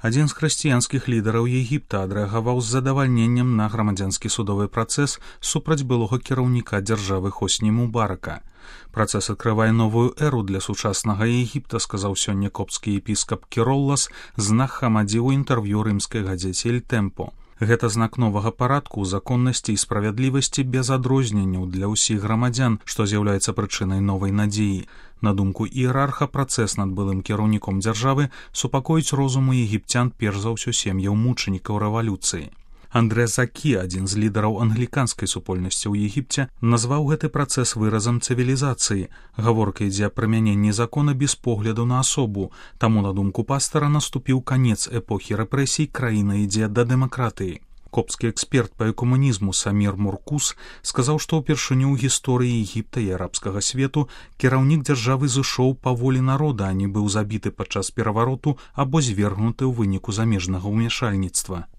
Адзін з хрысціянскіх лідараў Егіпта адрэагаваў з задавальненнем на грамадзянскі судовы працэс супраць былога кіраўніка дзяржавы Хосні Мубарака. Працэс адкрывае новую эру для сучаснага Егіпта, сказаў сёння копцкі епіскап Кіроллас Знах Хамадзі ў інтэрв'ю рымскай газеце «Эль Темпо». Гэта знак новага парадку, законнасці і справядлівасці без адрозненняў для ўсіх грамадзян, што з'яўляецца прычынай новай надзеі. На думку іерарха, працэс над былым кіраўніком дзяржавы супакоіць розуму егіпцян перш за ўсё сем'яў мучанікаў рэвалюцыі. Андре Закі, адзін з лідараў англіканскай супольнасці ў Егіпце, назваў гэты працэс выразам цывілізацыі. Гаворка ідзе аб прымяненні закона без погляду на асобу, таму, на думку пастара, наступіў канец эпохі рэпрэсій, краіна ідзе да дэмакратыі. Копцкі эксперт па экуманізму Самір Муркус сказаў, што ўпершыню ў гісторыі Егіпта і арабскага свету кіраўнік дзяржавы зышоў па волі народа, а не быў забіты падчас перавароту або звергнуты ў выніку замежнага ўмяшальніцтва.